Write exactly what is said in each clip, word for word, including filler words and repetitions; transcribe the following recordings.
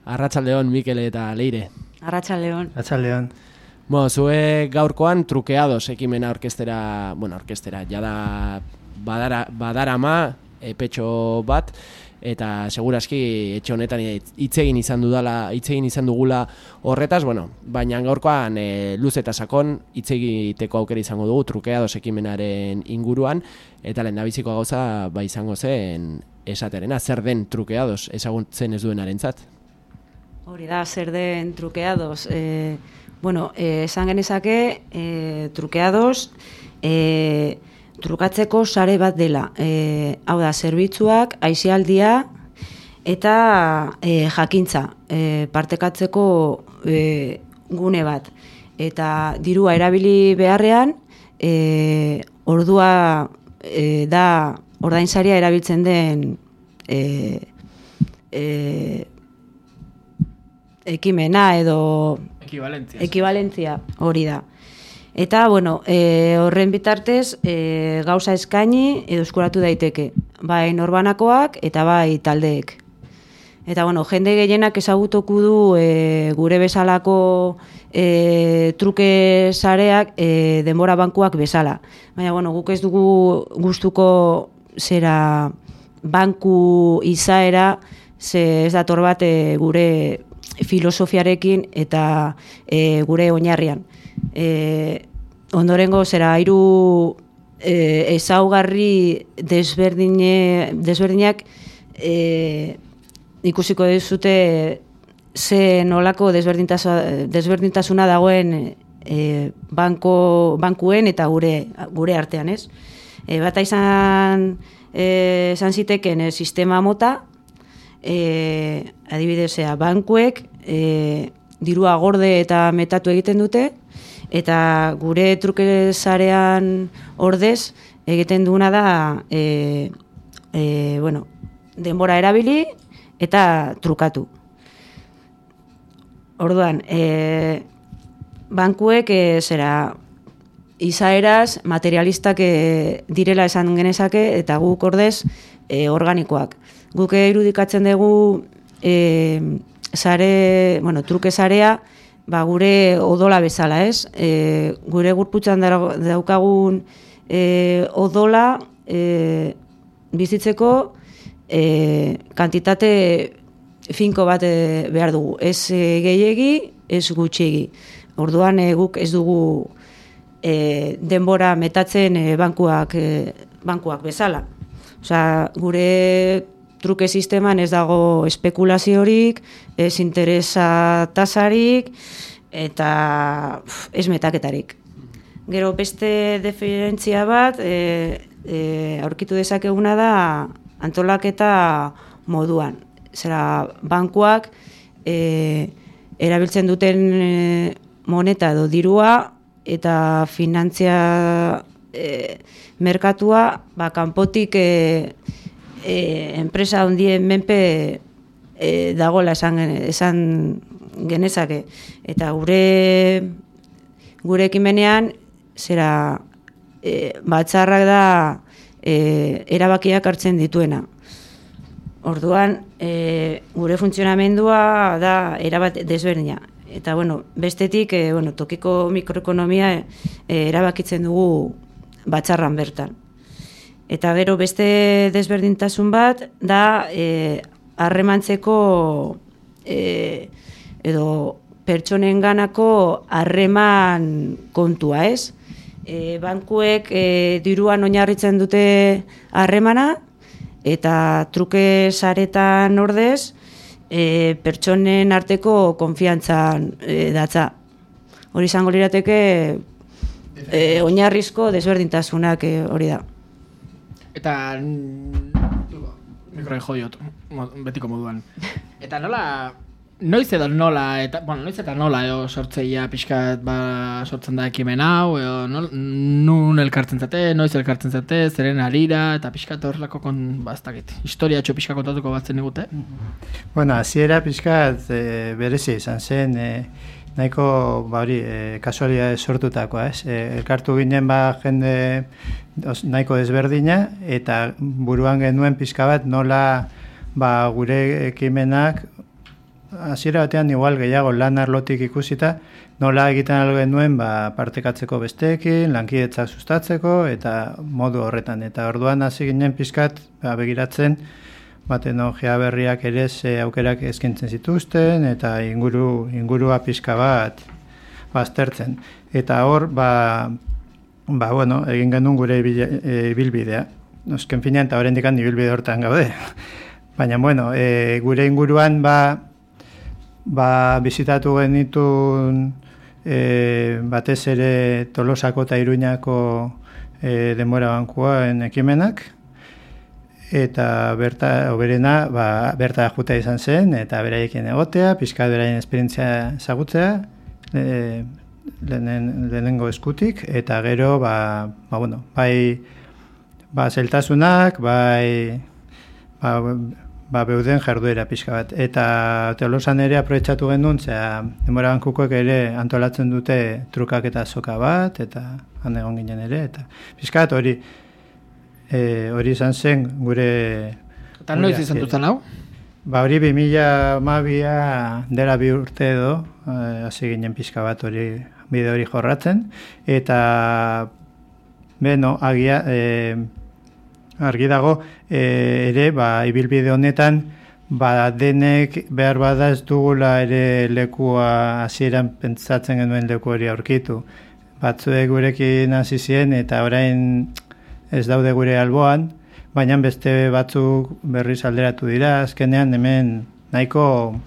Arratsaldeon Mikel eta Leire. Arratsaldeon. Arratsaldeon. Bueno, zuek gaurkoan trukeados ekimena orkestera, bueno, orkestera, jada badara, badarama epetxo bat, eta seguraski etxe honetan hitz egin izan dudala, hitz egin izan dugula horretaz, bueno, baina gaurkoan e, luz eta sakon hitz egiteko aukera izango dugu trukeados ekimenaren inguruan, eta lehendabiziko gauza ba izango zen esaterena, zer den trukeados ezagutzen ez duenarentzat. Hori da, zer den trukeados. Eh, bueno, eh, esan genezake, eh, trukeados, eh, trukatzeko sare bat dela. Eh, hau da, zerbitzuak, aisialdia eta eh, jakintza, eh, partekatzeko eh, gune bat. Eta dirua erabili beharrean, eh, ordua eh, da ordainsaria erabiltzen den eh, eh, ekimena edo ekibalentzia. Ekibalentzia, hori da. Eta, bueno, e, horren bitartez e, gauza eskaini edo eskuratu daiteke. Bai norbanakoak eta bai taldeek. Eta, bueno, jende gehienak ezagutuko du e, gure bezalako e, truke sareak e, denbora bankuak bezala. Baina, bueno, guk ez dugu gustuko zera banku izaera, ze ez dator bat e, gure filosofiarekin eta e, gure oinarrian. E, ondorengo zera hiru e, ezaugarri desberdine, desberdinak e, ikusiko dizute ze nolako desberdintasuna, desberdintasuna dagoen e, banko, bankuen eta gure, gure artean, ez? E, bata izan, e, izan ziteken e, sistema mota, E, adibidezea, bankuek e, dirua gorde eta metatu egiten dute, eta gure truke sarean ordez egiten duguna da e, e, bueno, denbora erabili eta trukatu. Orduan, e, bankuek e, zera izaeraz materialistak e, direla esan genezake, eta guk ordez e, organikoak. Guk irudikatzen dugu e, sare, bueno, truke sarea ba, gure odola bezala, ez? E, gure gorputzan daukagun e, odola e, bizitzeko e, kantitate finko bat e, behar dugu. Ez e, gehiegi, ez gutxiegi. Orduan e, guk ez dugu e, denbora metatzen e, bankuak, e, bankuak bezala. Osea, gure truke sisteman ez dago espekulaziorik, ez interesa tasarik, eta uf, ez metaketarik. Gero beste diferentzia bat, e, e, aurkitu dezakeguna da antolaketa moduan. Zera, bankuak e, erabiltzen duten e, moneta edo dirua, eta finantzia e, merkatua, ba, kanpotik e, E, enpresa handien menpe e, dagoela esan, esan genezake. Eta gure gure ekimenean zera e, batzarrak da e, erabakiak hartzen dituena. Orduan e, gure funtzionamendua da erabat desberdina. Eta bueno, bestetik e, bueno, tokiko mikroekonomia e, erabakitzen dugu batzarran bertan. Eta gero beste desberdintasun bat da harremantzeko e, e, edo pertsonenganako harreman kontua, ez? E, bankuek e, diruan oinarritzen dute harremana, eta truke saretan ordez e, pertsonen arteko konfiantzan e, datza. Hori izango lirateke e, oinarrizko desberdintasunak e, hori da. Eta mikroen jodiot, betiko moduan. Eta nola, noiz edo nola, eta, bueno, noiz eta nola edo sortzeia pixkat ba, sortzen da ekimen hau, edo nol, nun elkartzen zate, noiz elkartzen zate, zeren harira, eta pixkat horrelako kon, bastakit, historia txo pixka kontatuko batzen digute. Bueno, hasiera pixkat e, berezi izan zen, e, nahiko ba hori e, kasualidade sortutakoa, ez? E, elkartu ginen ba jende os, nahiko desberdina, eta buruan genuen pixka bat nola ba gure ekimenak hasiera batean igual gehiago lan arlotik ikusita, nola egiten algo genuen ba, partekatzeko besteekin, lankidetzak sustatzeko, eta modu horretan. Eta orduan hasi ginen pizkat ba, begiratzen, ba, teknologia berriak ere ze aukerak eskaintzen zituzten, eta inguru, ingurua pizka bat baztertzen. Eta hor, ba, ba, bueno, egin genuen gure ibilbidea. Nosken finean, eta horrendik handi ibilbide hortan gaude. Baina, bueno, e, gure inguruan, ba, ba, bizitatu genitun e, batez ere Tolosako eta Iruñako e, denbora bankuaren ekimenak, eta berta, oberena, ba, berta juta izan zen, eta beraiekin egotea, pizkat beraien esperientzia ezagutzea, e, lehenen, lehenengo eskutik, eta gero, ba, ba, bueno, bai, ba, zeltasunak, bai, ba, ba, beuden jarduera pixka bat. Eta Tolosan ere aprobetxatu genuen, zera, denbora bankukoek ere antolatzen dute trukak eta soka bat, eta han egon ginen ere, eta pixka bat hori, e, hori izan zen gure... Eta noiz izan dutzen hau? Ba, hori bi mila hamabia dela bi urte edo, hasi e, ginen pixka bat hori, bide hori jorratzen, eta, beno, agia... E, argi dago, e, ere, ba, ibilbide honetan, ba, denek behar bada ez dugula ere lekua hasieran pentsatzen genuen leku hori aurkitu. Batzuek gurekin hasi ziren eta orain ez daude gure alboan, baina beste batzuk berriz alderatu dira, azkenean hemen nahiko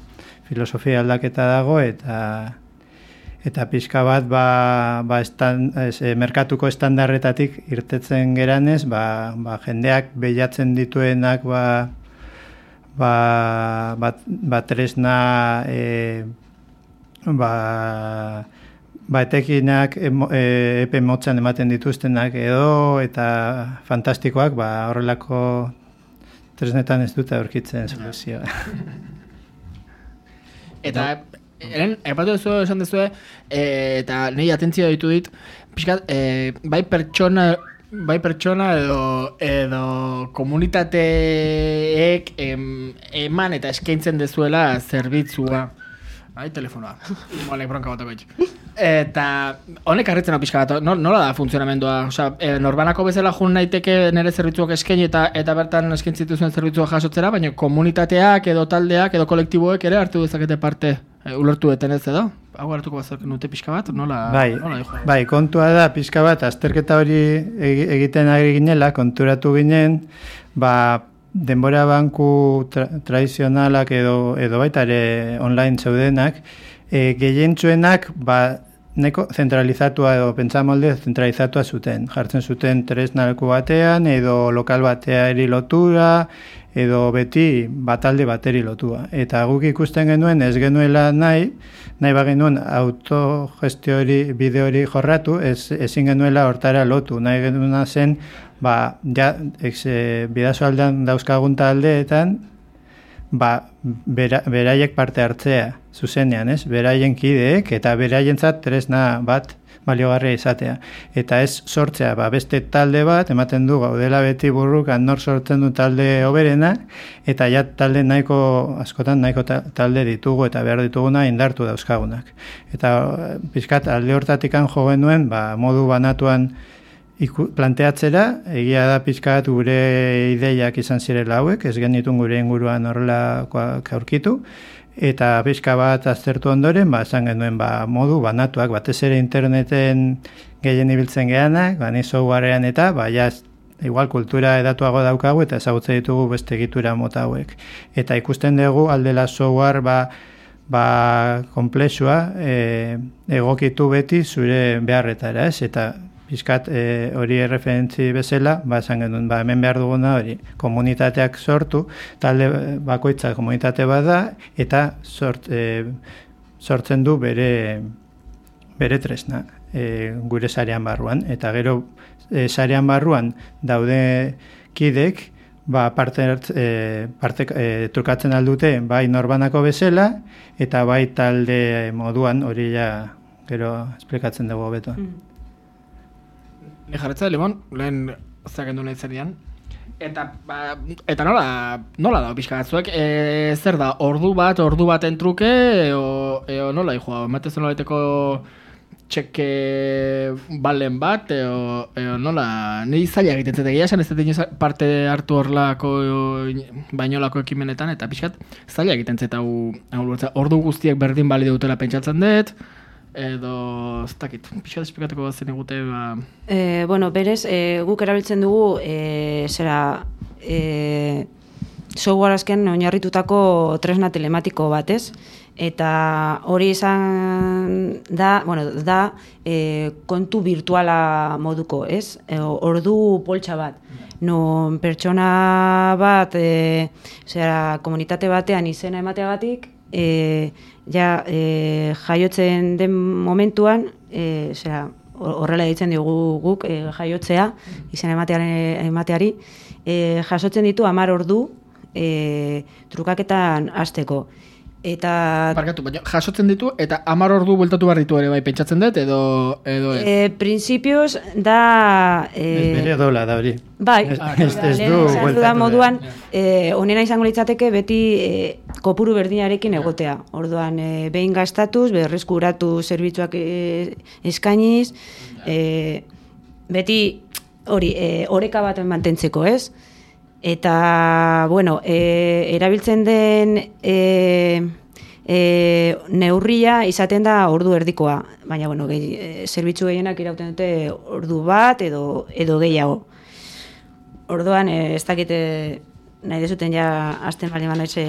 filosofia aldaketa dago eta eta pixka bat ba, ba estan, ez, e, merkatuko estandarretatik irtetzen geranez, ba, ba, jendeak behiatzen dituenak ba, ba, ba, ba tresna e, ba, ba etekinak e, e, epe motzan ematen dituztenak edo eta fantastikoak ba, horrelako tresnetan ez dute aurkitzen soluzioa. Eta eren, epatu duzu esan duzue, e, eta nahi atentzioa ditu dit, pixkat, e, bai pertsona, bai pertsona edo, edo komunitateek em, eman eta eskaintzen dezuela zerbitzua. Bai, telefonoa. Moalek bronka batako itxu. Eta honek harritzen hau pixka bat, nola da funtzionamendua? Osa, e, norbanako bezala jun naiteke nire zerbitzuak eskaini eta eta bertan eskaintzitu zuen zerbitzua jasotzera, baina komunitateak edo taldeak edo kolektiboek ere hartu dezakete parte. E, ulertu deten ez edo? Hau hartuko bazak nute pixka bat? Nola, bai, nola dijo? Bai, kontua da pixka bat, azterketa hori egiten ari ginela, konturatu ginen, ba, denbora banku tra tradizionalak edo, edo baita ere online zeudenak, e, gehientsuenak ba, neko zentralizatua edo pentsa molde zentralizatua zuten. Jartzen zuten tresnaleku batean edo lokal bateari lotura edo beti batalde bateri lotua. Eta guk ikusten genuen ez genuela nahi, nahi ba genuen autogestio hori, bide hori jorratu, ez, ezin genuela hortara lotu. Nahi genuena zen, ba, ja, ex, e, bidazo aldean dauzkagun taldeetan, ba, bera, beraiek parte hartzea, zuzenean, ez? Beraien kideek eta beraientzat tresna bat baliogarria izatea. Eta ez sortzea, ba, beste talde bat, ematen du gaudela beti burrukan nor sortzen du talde hoberena, eta ja talde nahiko, askotan nahiko talde ditugu eta behar dituguna indartu dauzkagunak. Eta pixkat alde hortatikan jo genuen, ba, modu banatuan iku, planteatzera, egia da pixkat gure ideiak izan zirela hauek, ez genitun gure inguruan horrelakoak aurkitu, eta pixka bat aztertu ondoren, ba, esan genuen ba, modu banatuak, batez ere interneten gehien ibiltzen gehanak, ba, ni softwarean eta, ba, ja, igual kultura edatuago daukagu eta ezagutzen ditugu beste egitura mota hauek. Eta ikusten dugu aldela software, ba, ba, komplexua, e, egokitu beti zure beharretara, ez? Eta pixkat e, hori erreferentzi bezala, ba, esan genuen, ba, hemen behar duguna hori, komunitateak sortu, talde bakoitza komunitate bat da, eta sort, e, sortzen du bere, bere tresna e, gure sarean barruan, eta gero e, sarean barruan daude kidek, ba, parte, e, parte e, trukatzen aldute bai norbanako bezala, eta bai talde moduan, hori ja gero esplikatzen dugu hobeto. Mm. Ni jarretza, Limon, lehen zakendu nahi zerian. Eta, ba, eta nola, nola da, pixka batzuek, e, zer da, ordu bat, ordu baten truke, eo, eo nola ikua, ematezen nolaiteko txeke balen bat, eo, eo nola, nahi zaila egiten zeta, egia esan ez dut parte hartu horlako, bainolako ekimenetan, eta pixkat, zaila egiten zeta, hau, ordu guztiek berdin bali dutela pentsatzen dut, edo, ez dakit, pixat esplikatuko zen egute, ba... E, bueno, berez, e, guk erabiltzen dugu, e, zera, e, software azken oinarritutako tresna telematiko bat, ez? Eta hori izan da, bueno, da e, kontu virtuala moduko, ez? E, ordu poltsa bat. No, pertsona bat, e, zera, komunitate batean izena emateagatik, e, ja, e, jaiotzen den momentuan, e, zera, horrela ditzen diogu guk, e, jaiotzea, izena ematearen, emateari, e, jasotzen ditu hamar ordu e, trukaketan hasteko. Eta... Barkatu, baina jasotzen ditu, eta hamar ordu bueltatu behar ditu ere, bai, pentsatzen dut, edo, edo ez? E, Printzipioz, da... E, ez bere dola da hori. Bai, ez, ez, ez du bueltatu da moduan, e, onena izango litzateke beti e, kopuru berdinarekin egotea. Orduan, e, behin gastatuz, berreskuratu zerbitzuak e, eskainiz, e, beti hori, e, oreka bat mantentzeko, ez? Eta, bueno, e, erabiltzen den e, e, neurria izaten da ordu erdikoa, baina, bueno, gehi, e, zerbitzu gehienak irauten dute ordu bat edo, edo gehiago. Orduan, e, ez dakite nahi dezuten ja azten bali manaize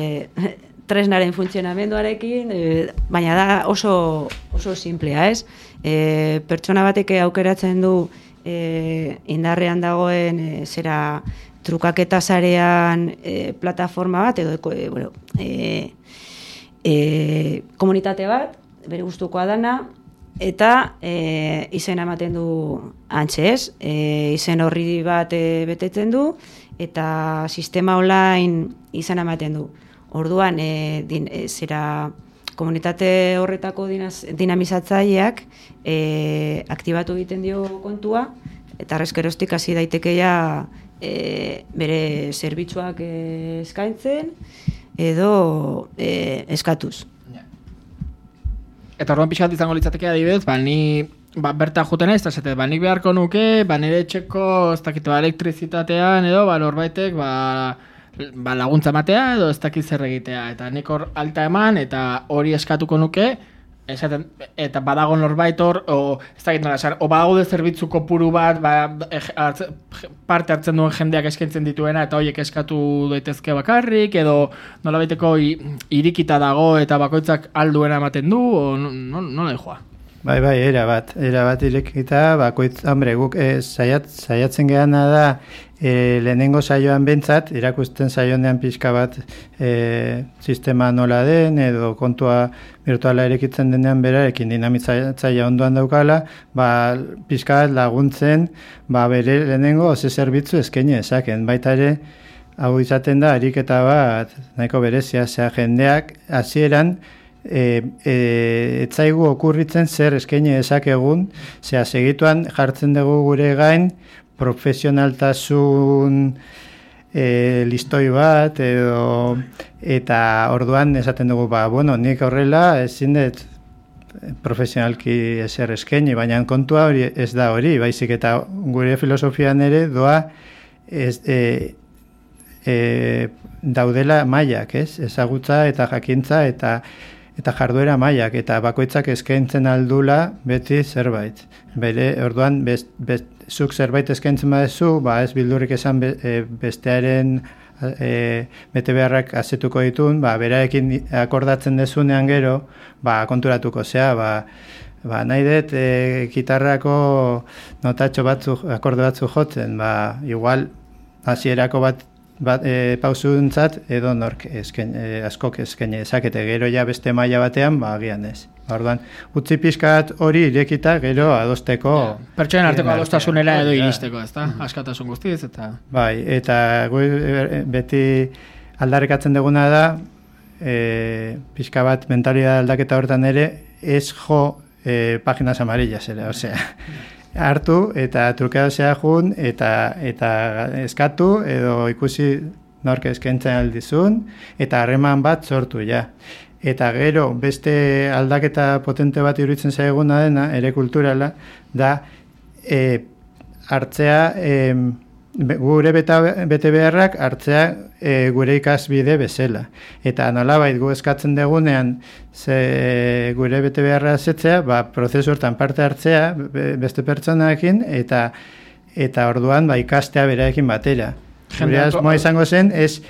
tresnaren funtzionamenduarekin, e, baina da oso, oso simplea, ez? E, pertsona bateke aukeratzen du e, indarrean dagoen e, zera... trukaketa zarean e, plataforma bat, edo e, bueno, e, e, komunitate bat, bere gustukoa dana, eta e, izena ematen du antxe, ez? E, izen horri bat e, betetzen du, eta sistema online izena ematen du. Orduan, e, din, e, zera komunitate horretako dinaz, dinamizatzaileak e, aktibatu egiten dio kontua, eta arrezkeroztik hasi daitekeia E, bere zerbitzuak e, eskaintzen edo e, eskatuz. Eta orduan pixat izango litzateke adibidez, ba, ni ba, berta juten ez, eta ba, nik beharko nuke, ba, nire etxeko ez dakit, ba, elektrizitatean edo ba, norbaitek ba, ba, laguntza matea edo ez dakit zer egitea. Eta nik hor alta eman eta hori eskatuko nuke, esaten, eta badago norbait hor, o, ez dakit nola, esan, o badago de zerbitzu kopuru bat, ba, hartze, parte hartzen duen jendeak eskaintzen dituena, eta horiek eskatu daitezke bakarrik, edo nola baiteko irikita dago, eta bakoitzak alduena ematen du, o nola no, no joa? Bai, bai, era bat, era bat irekita, bakoitz, hombre, guk eh, saiat, saiatzen geana da, e, lehenengo saioan bentsat, irakusten saionean pixka bat e, sistema nola den, edo kontua virtuala erekitzen denean berarekin dinamitzaia ondoan daukala, ba, pixka bat laguntzen, ba, bere lehenengo ze zerbitzu eskaini ezaken, baita ere, hau izaten da, ariketa bat, nahiko berezia, zea jendeak, hasieran, E, e, etzaigu okurritzen zer eskaini ezakegun, zera segituan jartzen dugu gure gain profesionaltasun e, listoi bat edo, eta orduan esaten dugu, ba, bueno, nik horrela ezin dut profesionalki ezer eskaini, baina kontua hori ez da hori, baizik eta gure filosofian ere doa ez, e, e, daudela mailak, ez? Ezagutza eta jakintza eta eta jarduera mailak, eta bakoitzak eskaintzen aldula beti zerbait. Bere, orduan, best, best, zuk zerbait eskaintzen badezu, ba ez bildurrik esan be, e, bestearen e, bete beharrak azetuko ditun, ba berarekin akordatzen dezunean gero, ba konturatuko zea, ba, ba nahi dut e, gitarrako notatxo batzu, akorde batzu jotzen, ba igual hasierako bat Bat, e, pausuntzat edo nork esken, e, askok eskaini ezakete, gero ja beste maila batean, ba, agian ez. Orduan, utzi pixkat hori irekita, gero adosteko... Ja, pertsonen arteko adostasunera edo iristeko, ez da? Askatasun guztiz, eta... Bai, eta gu, beti aldarrikatzen duguna da, e, pixka bat mentalidad aldaketa hortan ere, ez jo e, páginas amarillas ere, osea... hartu eta trukeadosea jun eta, eta eskatu edo ikusi nork eskaintzen aldizun eta harreman bat sortu ja. Eta gero beste aldaketa potente bat iruditzen zaiguna dena, ere kulturala, da e, hartzea e, gure beta, bete beharrak hartzea e, gure ikasbide bezala. Eta nolabait gu eskatzen degunean ze, gure bete beharra zetzea, ba, prozesu hortan parte hartzea beste pertsonaekin eta eta orduan ba, ikastea beraekin batera. Gure asmoa izango zen, ez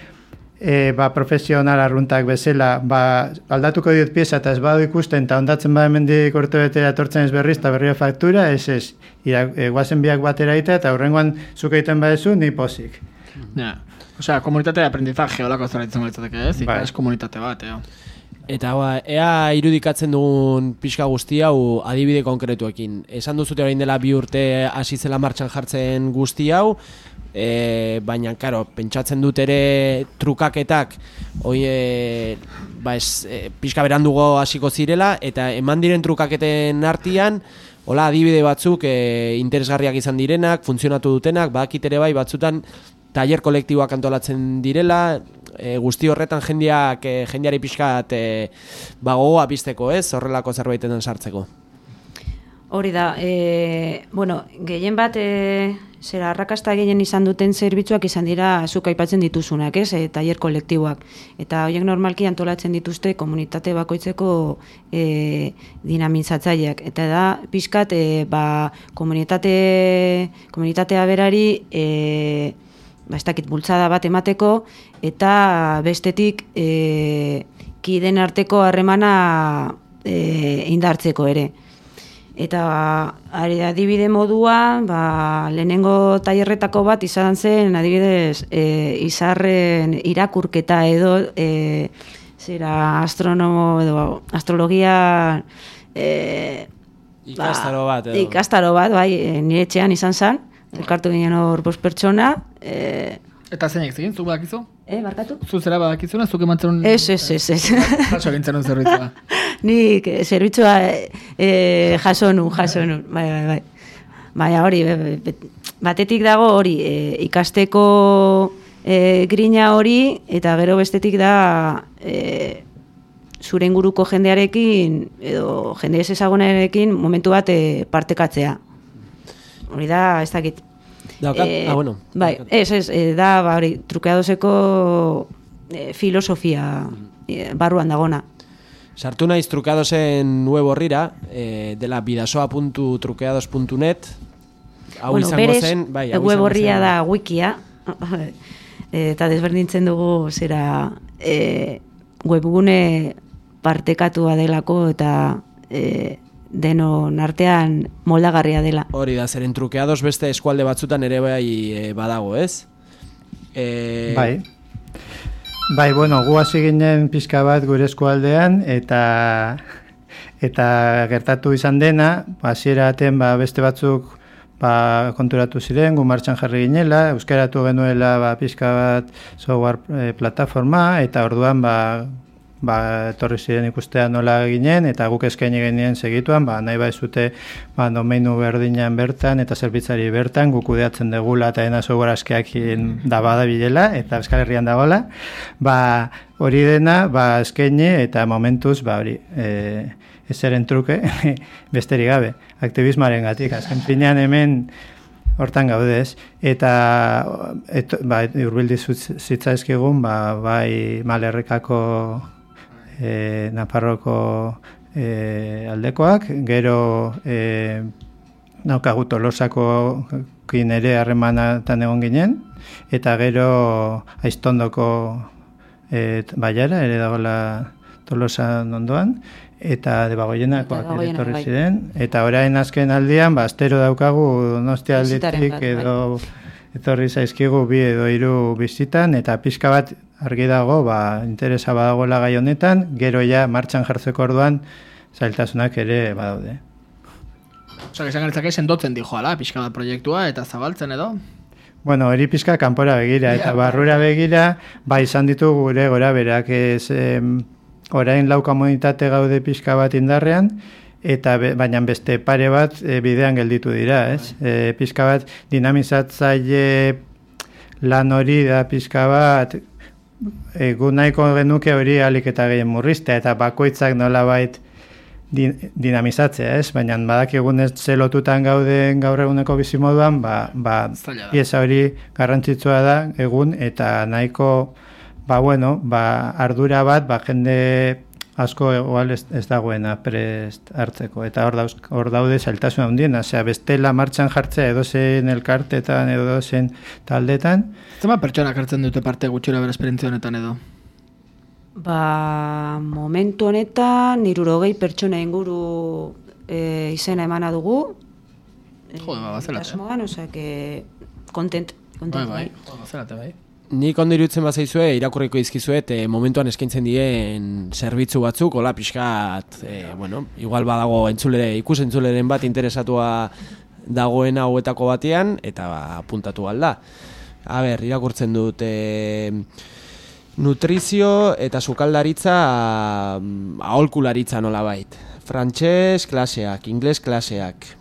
e, ba, profesional arruntak bezala, ba, aldatuko diot pieza eta ez badu ikusten eta ondatzen bada hemendik urte betera etortzen ez berriz eta berria faktura, ez ez. Ira, e, guazen biak batera ita eta hurrengoan zuk egiten badezu, ni pozik. Ja, osea, komunitate de aprendizaje holako zerritzen gaitzateke, ez? Ikas komunitate bat, eo. Eta ba, ea irudikatzen dugun pixka guzti hau adibide konkretuekin. Esan duzute orain dela bi urte hasi zela martxan jartzen guzti hau, e, baina, karo, pentsatzen dut ere trukaketak hoi, e, ba ez, e, pixka berandugo hasiko zirela, eta eman diren trukaketen artean, hola, adibide batzuk e, interesgarriak izan direnak, funtzionatu dutenak, badakit ere bai batzutan taller kolektiboak antolatzen direla, e, guzti horretan jendeak, e, jendeari pixkat e, bagoa pizteko, ez, horrelako zerbaitetan sartzeko. Hori da, e, bueno, gehien bat, e, zera, arrakasta gehien izan duten zerbitzuak izan dira zuk aipatzen dituzunak, ez, e, taller kolektiboak. Eta horiek normalki antolatzen dituzte komunitate bakoitzeko e, dinamizatzaileak. Eta da, pixkat, e, ba, komunitate, komunitatea berari, e, ba, ez dakit bultzada bat emateko, eta bestetik e, kideen arteko harremana e, indartzeko ere. Eta adibide modua, ba, lehenengo tailerretako bat izan zen, adibidez, e, izarren irakurketa edo, e, zera astronomo edo astrologia e, ikastaro bat edo. Ikastaro bat, bai, e, nire etxean izan zen, elkartu ginen hor bost pertsona. E, Eta zeinek zegin, zuk badakizu? Eh, barkatu? Zu zera badakizuna, zuk emantzen un... Ez, ez, ez, ez. Jaso egintzen un zerbitzua. Nik zerbitzua e, jaso nun, jaso nun, bai, bai, bai. Baina hori, batetik dago hori, e, ikasteko e, grina hori, eta gero bestetik da e, zure inguruko jendearekin, edo jende ez ezagunarekin momentu bat e, partekatzea. Hori da, ez dakit. Daukat, E, ah, bueno. Bai, ez, ez, e, da, ba, hori, trukeadoseko e, filosofia e, barruan dagona. Sartu naiz trukeadosen web horrira, eh, dela bidasoa puntu trukeados puntu net. Hau bueno, izango berez, zen, bai, hau web izango horria zen. da wikia, eta desberdintzen dugu zera e, webgune partekatua delako eta e, denon artean moldagarria dela. Hori da, zeren trukeados beste eskualde batzutan ere bai e, badago, ez? E... Bai. Bai, bueno, gu hasi ginen pixka bat gure eskualdean eta eta gertatu izan dena, hasieraten ba, beste batzuk ba, konturatu ziren, gu martxan jarri ginela, euskaratu genuela ba, pixka bat software e, plataforma eta orduan ba, ba, etorri ziren ikustea nola ginen eta guk eskaini genien segituan, ba, nahi bai zute ba, domeinu berdinean bertan eta zerbitzari bertan guk kudeatzen degula eta dena software askeakin da badabilela eta Euskal Herrian dagoela, ba, hori dena ba, eskaini eta momentuz ba, hori e, ezeren truke besterik gabe, aktivismoaren gatik, azken finean hemen hortan gaudez, eta et, ba, urbildi zitzaizkigun ba, bai Malerrekako E, Nafarroko e, aldekoak, gero e, naukagu Tolosakokin ere harremanatan egon ginen, eta gero Aiztondoko e, baiara, ere dagoela Tolosan ondoan, eta Debagoienakoak ere etorri ziren, eta orain azken aldian, ba, astero daukagu Donostia aldetik edo etorri zaizkigu bi edo hiru bizitan, eta pixka bat argi dago, ba, interesa badagoela gai honetan, gero ja martxan jartzeko orduan zailtasunak ere badaude. Osa, esan garitzake sendotzen dijoala, pixka bat proiektua eta zabaltzen edo? Bueno, hori pixka kanpora begira, eta barrura begira, ba, izan ditugu gure gora berak ez, em, orain lau komunitate gaude pixka bat indarrean, eta be, baina beste pare bat e, bidean gelditu dira, ez? E, pixka bat dinamizatzaile lan hori da pixka bat e, gu nahiko genuke hori alik eta gehien murriztea, eta bakoitzak nolabait din, dinamizatzea, ez? Baina badakigun ez zelotutan gauden gaur eguneko bizimoduan, ba, ba pieza hori garrantzitsua da egun, eta nahiko ba bueno, ba ardura bat, ba jende asko igual ez, ez dagoena prest hartzeko, eta hor, dauz, hor daude zailtasun handiena, osea, bestela martxan jartzea edozein elkartetan edo edozein taldetan. Zema pertsonak hartzen dute parte gutxura bere esperientzia honetan edo? Ba, momentu honetan, hirurogei pertsona inguru e, izena emana dugu. Jode, ba, bazelate. Asmoan, osea, que kontent, kontent. Bai, bai, jode, bazelate, bai. Nik ondo iruditzen bazaizue, irakurriko izkizuet, e, momentuan eskaintzen dien zerbitzu batzuk, hola pixkat, e, bueno, igual badago entzulere, ikus entzuleren bat interesatua dagoen hauetako batean, eta ba, apuntatu alda. A ber, irakurtzen dut, e, nutrizio eta sukaldaritza, aholkularitza nolabait. Frantses klaseak, ingles klaseak,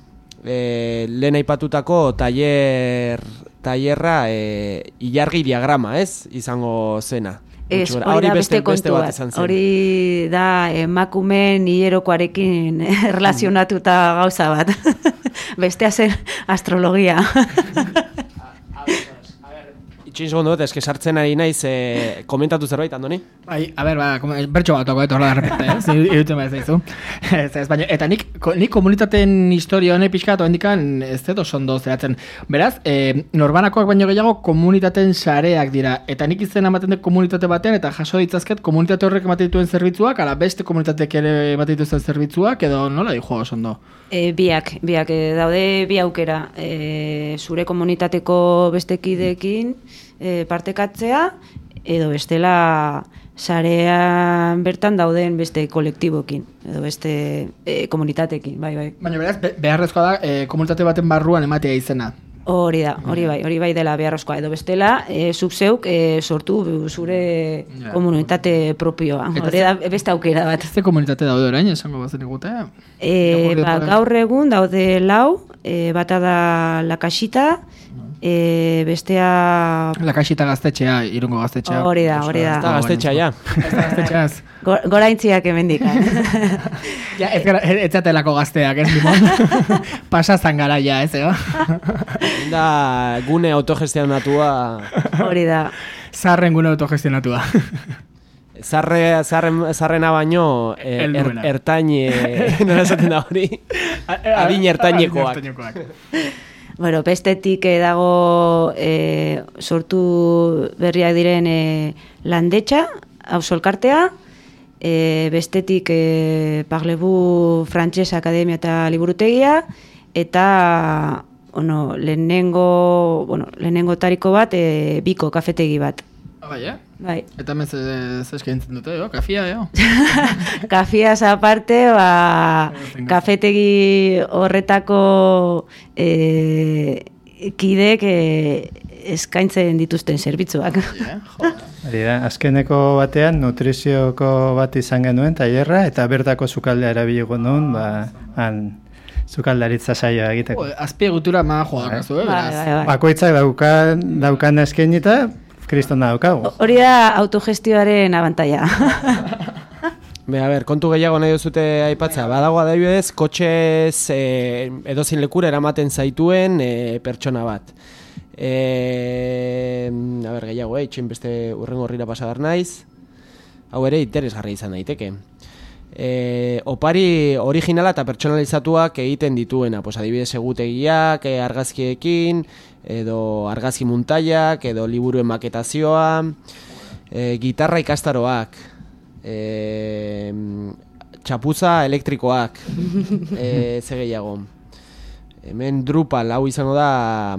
e, lehen aipatutako tailer... tailerra e, ilargi diagrama, ez? Izango zena. Ez, hori da beste kontu bat. Hori da emakumeen hilerokoarekin erlazionatuta gauza bat. Bestea zen astrologia. Itxin segundu dut, eske sartzen ari naiz, e, komentatu zerbait, Andoni? Bai, a ber, ba, bertxo bat toko, eta horrela repete, ez? Irutzen bat zaizu. Eta nik, nik komunitateen historia honek pixka eta hendikan ez dut oso ondo zeratzen. Beraz, e, norbanakoak baino gehiago komunitateen sareak dira. Eta nik izena ematen dut komunitate batean, eta jaso ditzazket komunitate horrek ematen dituen zerbitzuak, ala beste komunitateek ere ematen dituen zerbitzuak, edo nola di joa oso ondo? E, biak, biak, e, daude bi aukera. E, zure komunitateko beste kideekin e, partekatzea, edo bestela sarean bertan dauden beste kolektibokin, edo beste e, komunitatekin, bai, bai. Baina beraz, be, beharrezkoa da e, komunitate baten barruan ematea izena. Hori da, hori bai, hori bai dela beharrezkoa, edo bestela, e, zuk zeuk e, sortu zure ja. komunitate propioa. Hori da beste aukera bat. Ze komunitate daude orain, esango bazen egute? E, ba, gaur egun daude lau, e, bata da La Casita, e, bestea... La Casita gaztetxea, Irungo gaztetxea. Hori da, hori da. Eta gaztetxea, ja. Gaztetxeaz. Goraintziak hemendik. Ja, ez gara, ez zatelako gazteak, ez limon. Pasazan gara ja, ez, ego? Da, gune autogestionatua. Hori da. Zarren gune autogestionatua. Zarre, zarren, zarrena baino, er, er, ertain, nola esaten da hori? Adin ertainekoak. Bueno, bestetik eh, dago eh, sortu berriak diren eh, landetxa, ausolkartea, E, bestetik e, Parlebu Frantses Akademia eta Liburutegia, eta bueno, lehenengo, bueno, lehenengo tariko bat e, biko kafetegi bat. Bai, eh? Bai. Eta mez ez eskaintzen dute, jo? Kafia, jo? Kafiaz aparte, ba, kafetegi horretako e, kidek e, eskaintzen dituzten zerbitzuak. Yeah, azkeneko batean nutrizioko bat izan genuen tailerra, eta bertako sukaldea erabiliko nuen, ba, han sukaldaritza saioa egiteko. Azpiegutura ma joak azu, eh? Bai, bai, bai. Bakoitzak daukan, daukan eskainita, kristona daukagu. Hori da autogestioaren abantaia. Be, a ber, kontu gehiago nahi duzute aipatzea. Badago adibidez, kotxez e, edozein lekura eramaten zaituen e, pertsona bat. E, a ber, gehiago, eh, itxen beste urrengo horrira pasadar naiz. Hau ere, interesgarri izan daiteke. E, opari originala eta pertsonalizatuak egiten dituena, pues, adibidez egutegiak, e, argazkiekin, edo argazki muntaiak, edo liburuen maketazioa, e, gitarra ikastaroak, e, txapuza elektrikoak, e, ze gehiago. Hemen Drupal, hau izango da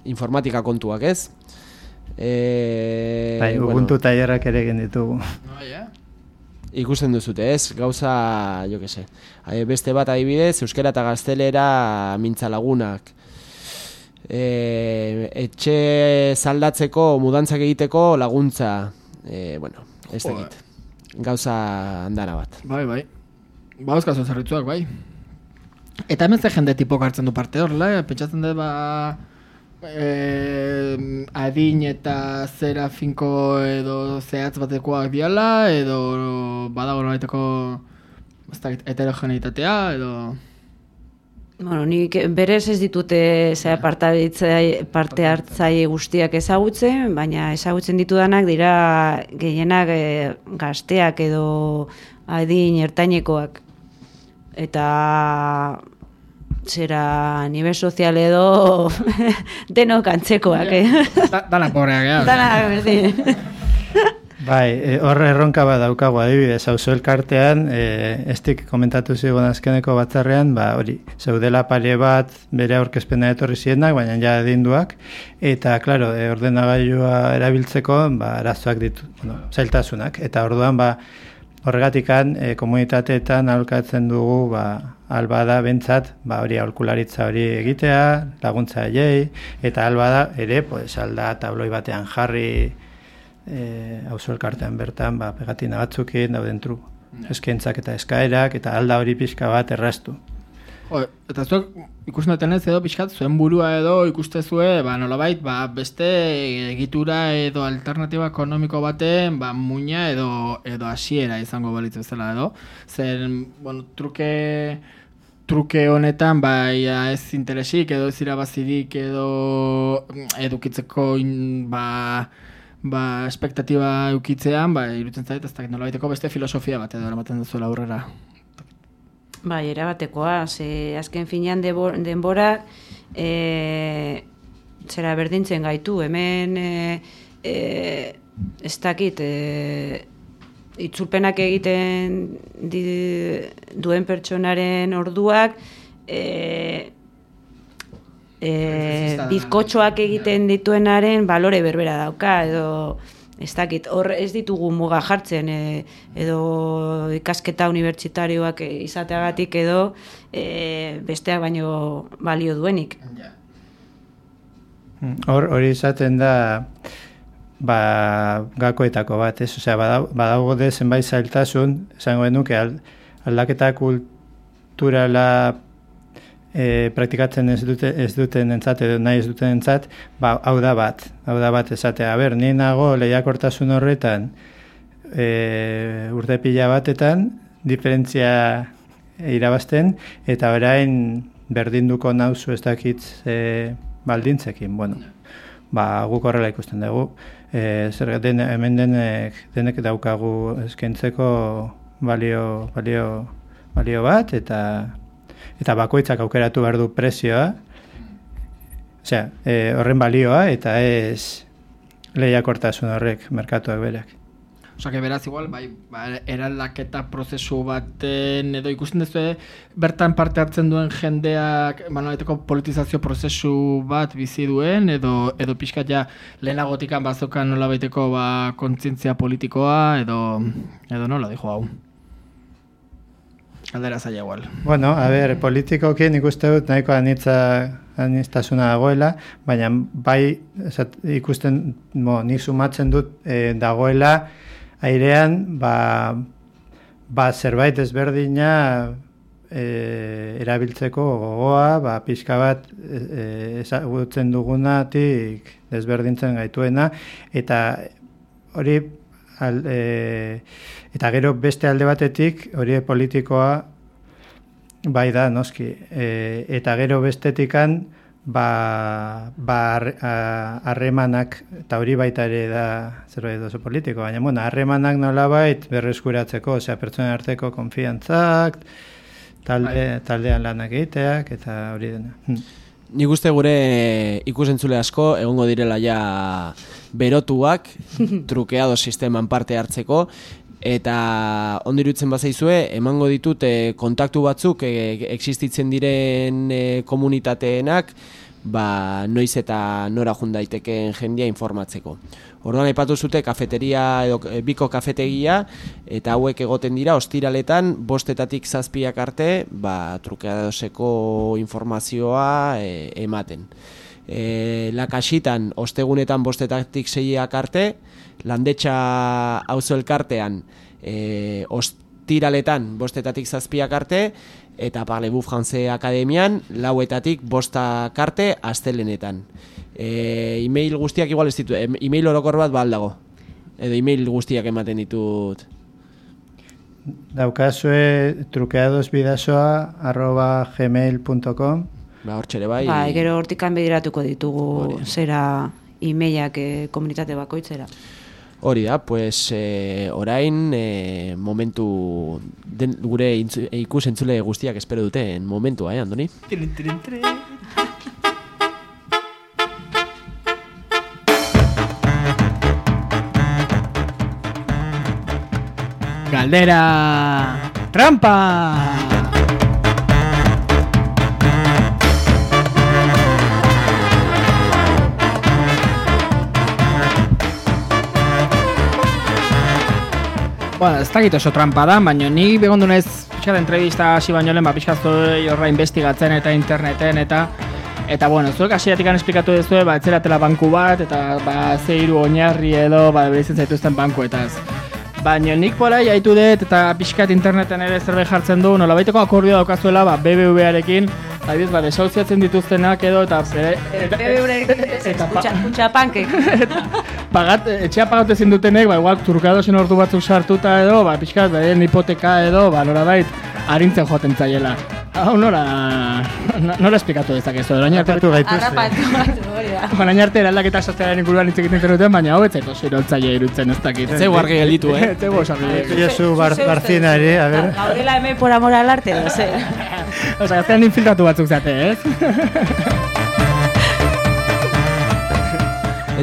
informatika kontuak, ez? E, bai, Ubuntu bueno, tailerrak ere egin ditugu. Oh, yeah. Ikusten duzute, ez? Gauza, jo que se. Beste bat adibidez, euskera eta gaztelera mintza lagunak. E, etxe zaldatzeko, mudantzak egiteko laguntza. E, bueno, ez dakit. Gauza andana bat. Bai, bai. Ba, euskazo zerritzuak, bai. Eta hemen ze jende tipok hartzen du parte horrela, pentsatzen dut ba eh, adin eta zera finko edo zehatz batekoak diala, edo badago nolaiteko heterogeneitatea, edo... Bueno, nik berez ez ditute zera parte hartzaile guztiak ezagutzen, baina ezagutzen ditudanak dira gehienak e, gazteak edo adin ertainekoak. Eta zera nivel sozial edo denok antzekoak, eh? Danak pobreak, eh? Danak, berdin. Bai, horre erronka bat daukagu adibidez, auzo elkartean, e, estik komentatu zigun azkeneko batzarrean, ba, hori, zeudela pare bat bere aurkezpena etorri zienak, baina ja adinduak, eta, klaro, e, ordenagailua erabiltzeko, ba, arazoak ditu, bueno, zailtasunak, eta orduan, ba, horregatikan, e, komunitateetan aholkatzen dugu, ba, albada bentsat, ba, hori aholkularitza hori egitea, laguntza haiei, eta albada ere, pues, alda tabloi batean jarri, E, auzo elkartean bertan ba, pegatina batzukin dauden tru eskentzak eta eskaerak eta alda hori pixka bat erraztu. Jo, eta zuek ikusten duten ez edo pixkat zuen burua edo ikustezue ba, nolabait ba, beste egitura edo alternatiba ekonomiko baten ba, muina edo, edo hasiera izango balitz bezala edo zen, bueno, truke truke honetan bai ez interesik edo ez irabazirik edo edukitzeko in, ba ba, espektatiba eukitzean, ba, irutzen zait, ez da, nolabaiteko beste filosofia bat edo eramaten duzuela aurrera. Bai, erabatekoa, ze azken finean denbora e, zera berdintzen gaitu, hemen e, e, ez dakit, e, itzulpenak egiten di, duen pertsonaren orduak, e, E, bizkotxoak egiten dituenaren balore berbera dauka, edo ez dakit, hor ez ditugu muga jartzen, e, edo ikasketa unibertsitarioak izateagatik edo e, besteak baino balio duenik. Hor hori izaten da ba, gakoetako bat, ez? Osea, badago de zenbait zailtasun, esango genuke aldaketa kulturala E, praktikatzen ez, dute, ez duten entzat edo nahi ez duten entzat, ba, hau da bat, hau da bat esatea. Aber, ni nago lehiakortasun horretan e, urte pila batetan, diferentzia irabazten, eta orain berdinduko nauzu ez dakitz e, baldintzekin. Bueno, ba, guk horrela ikusten dugu. E, zer den, hemen denek, denek daukagu eskaintzeko balio, balio, balio bat, eta eta bakoitzak aukeratu behar du prezioa, osea, e, horren balioa, eta ez lehiakortasun horrek, merkatuak berak. Osea, que beraz igual, bai, ba, eraldaketa prozesu baten, edo ikusten duzu, bertan parte hartzen duen jendeak, manualeteko politizazio prozesu bat bizi duen, edo, edo pixkat ja lehenagotikan bazokan nola baiteko ba, kontzientzia politikoa, edo, edo nola dijo hau. Aldera zaila igual. Bueno, a ber, politikokin ikuste dut nahiko anitza aniztasuna dagoela, baina bai esat, ikusten, bo, nik sumatzen dut e, dagoela airean, ba, ba zerbait ezberdina e, erabiltzeko gogoa, ba, pixka bat e, ezagutzen dugunatik desberdintzen gaituena, eta hori Al, e, eta gero beste alde batetik hori politikoa bai da noski e, eta gero bestetikan ba ba harremanak eta hori baita ere da zerbait oso politiko, baina bueno, harremanak nolabait berreskuratzeko, osea pertsonen arteko konfiantzak, talde, taldean lanak egiteak eta hori dena. Hm. Nik uste gure ikusentzule asko egongo direla ja berotuak trukeado sisteman parte hartzeko, eta ondo iruditzen bazaizue emango ditut e, kontaktu batzuk e, existitzen diren e, komunitateenak ba, noiz eta nora jun daitekeen jendia informatzeko. Orduan aipatu zute kafeteria edo biko kafetegia, eta hauek egoten dira ostiraletan bostetatik zazpiak arte ba, trukeadoseko informazioa e, ematen. E, Lakasitan ostegunetan bostetatik seiak arte, Landetxa auzo elkartean e, ost, tiraletan bostetatik zazpiak arte, eta Parlez-vous Français Akademian lauetatik bostak arte astelenetan. E, email guztiak igual ez ditu, email orokor bat baldago. Edo email guztiak ematen ditut. Daukazue trukeadosbidasoa arroba gmail punto com. Ba, hortxere bai. Ba, gero hortikan begiratuko ditugu Hori. Zera emailak e, komunitate bakoitzera. Hori da, pues eh, orain eh, momentu den, gure intzu, ikus entzule guztiak espero duten momentua, eh, Andoni? Trin, trin, trin. Galdera trampa. Bueno, ez dakit oso trampa da, baina ni begondunez pixkat entrevista hasi baino lehen, ba, pixkat zuei horra investigatzen eta interneten eta eta bueno, zuek hasieratik esplikatu duzue, ba, etzeratela banku bat eta ba, ze hiru oinarri edo ba, bereizten zaituzten bankuetaz. Baina nik porai haitu dut eta pixkat interneten ere zerbait jartzen du, nolabaiteko akordio daukazuela ba, B B V arekin, adiz, ba, desauziatzen dituztenak edo eta B B V kutxapankek. Pagat, etxea pagatu ezin dutenek, ba, igual trukadosen ordu batzuk sartuta edo, ba, pixkat, beren hipoteka edo, ba, norabait, arintzen joaten zaiela. Hau, nora, nora esplikatu dezakezu, orain arte... Arrapatu gaituzte. Arrapatu, hori da. Orain arte eraldaketa sozialaren inguruan hitz egiten zenuten, baina hau etzait oso iraultzaile irutzen ez dakit. Zeu argi gelditu, eh? Zeu oso argi gelditu. Josu Barcina ere, a ver. Gaudela hemen por amor al arte, no sé. Osa, gaztean infiltratu batzuk zate, ez?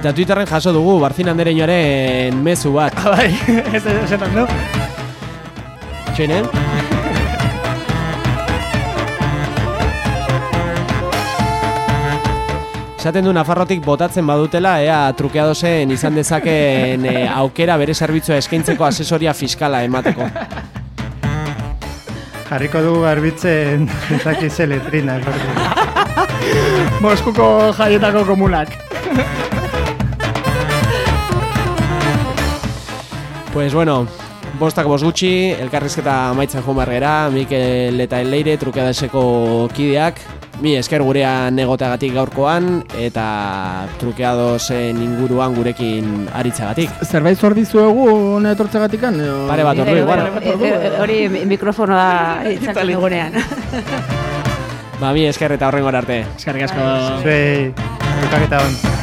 Eta Twitterren jaso dugu Barcina andereñoaren mezu bat. Ah, bai, ez esetan du. Txenen? Esaten du Nafarrotik botatzen badutela, ea trukeadosen izan dezakeen e, aukera bere zerbitzua eskaintzeko asesoria fiskala emateko. Jarriko dugu garbitzen ezakize letrinak. Moskuko jaietako komunak. Pues bueno, bostak bost gutxi, elkarrizketa amaitzen joan bargera, Mikel eta Leire trukeadoseko kideak. Mi esker gurean egoteagatik gaurkoan eta trukeadosen inguruan gurekin aritzagatik. Zerbait zor dizuegu etortzegatikan? Pare bat ordu igual. Hori mikrofonoa itzaltzen dugunean. Ba, mi esker eta horrengora arte. Eskerrik asko. Zuei, bukaketa hon.